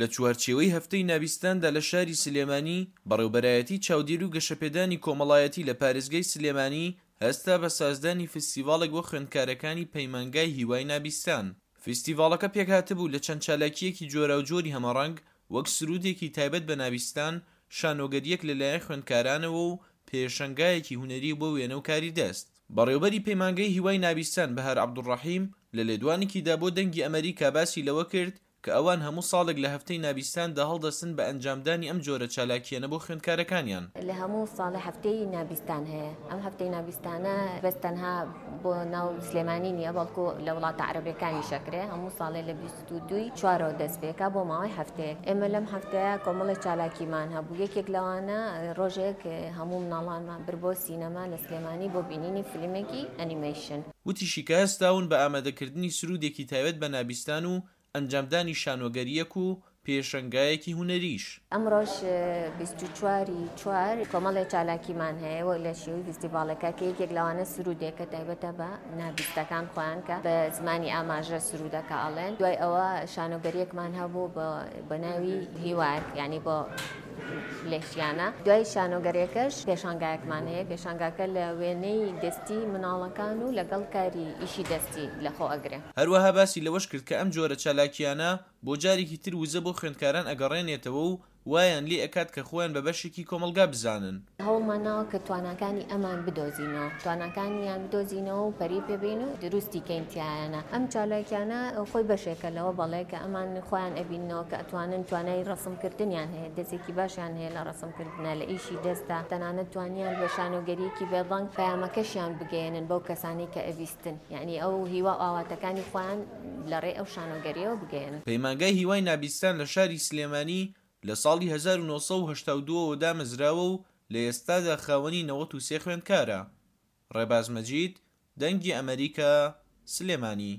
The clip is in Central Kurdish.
لە چوارچێوەی هەفتەی نابیستاندا لە شاری سلێمانی، بەڕێوبەرایەتی چاودێری و گەشەپێدانی کۆمەڵایەتی لە پارێزگای سلێمانی هەستا بە سازدانی فستیڤاڵێک بۆ خوێندکارەکانی پەیمانگای هیوای نابیستان. فستیڤاڵەکە پێکهاتبوو لە چەند چالاکییەکی جۆراوجۆری هەمەڕەنگ وەک سروودێکی تایبەت بە نابیستان، شانۆگەرییەک لەلایەن خوێندکارانەوە و پێشەنگایەکی هونەری بۆ وێنە و کاری دەست. بەڕێوبەری پەیمانگەی هیوای نابیستان بەهار عەبدولڕەحیم لە لێدوانێکیدا بۆ دەنگی ئەمەریکا باسی لەوە کرد کە ئەوان هەموو ساڵێک لە هەفتەی نابیستاندا هەڵدەستن بە ئەنجامدانی ئەم جۆرە چالاکییانە بۆ خوێندکارەکانیان. لە هەموو ساڵێ هەفتەی نابیستان هەیە، ئەم هەفتەی نابیستانە بەس تەنها بۆ ناو سلێمانی نییە، بەڵکو لە وڵاتە عەرەبیەکانیش ئەکرێ، هەموو ساڵێ لە 22 ی چوارەوە دەست پێکا بۆ ماوەی هەفتەیەک. ئێمە لەم هەفتەیە کۆمەڵێ چالاکیمان هەبوو، یەکێک لەوانە ڕۆژێک هەموو مناڵانمان برد بۆ سینەما لە سلێمانی بۆ بینینی فیلمێکی ئەنیمەیشن. وتیشی کە هەستاون بە ئامادەکردنی سروودێکی تایبەت بە نابیستان و ئەنجامدانی شانۆگەرییەک و پێشەنگایەکی هونەریش. ئەمڕۆش 24 ی چوار کۆمەڵێ چالاکیمان هەیە وەک لە شێوەی فیستیڤاڵێکە کە یەکێک لەوانە سروودێکە تایبەتە بە نابیستەکان خۆیان کە بە زمانی ئاماژە سروودەکە ئەڵێن. دوای ئەوە شانۆگەرییەکمان هەبوو بە ناوی هیوایەک یانی بۆ لێشیانە. دوای شانۆگەریەکەش پێشانگایەکمان هەیە، پێشانگاکە لە وێنەی دەستی مناڵەکان و لەگەڵ کاری ئیشی دەستی لەخۆ ئەگرێ. هەروەها باسی لەوەش کرد کە ئەم جۆرە چالاکییانە بۆ جارێکی تر وزە بۆ خوێندکاران ئەگەڕێنێتەوە و وایان لێ ئەکات کە خۆیان بە بەشێکی کۆمەڵگا بزانن. هەوڵمان ناوە کە تواناکانی ئەمان بدۆزینەوە، تواناکانیان بدۆزینەوە و پەرەی پێ بەین و دروستی کەین تیایانا. ئەم چالاکیانە خۆی بەشێکە لەوە بەڵێ کە ئەمان خۆیان ئەبیننەوە کە ئەتوانن توانای ڕەسم کردنیان هەیە، دەستێکی باشیان هەیە لە ڕەسم کردنا، لە ئیشی دەستدا، تەنانەت توانیان بە شانۆگەرییەکی بێدەنگ پەیامەکەشیان بگەیەنن بەو کەسانەی کە ئەبیستن، یانی ئەو هیوا و ئاواتەکانی خۆیان لە ڕێی ئەو شانۆگەرییەوە بگەیەنن. پەیمانگای هیوای نابیستان لە شاری سلێمانی لە ساڵی 1982 ەوە دامەزراوە و لە ئێستادا خاوەنی 93 خوێندکارە. ڕێباز مەجید، دەنگی ئەمەریکا، سلێمانی.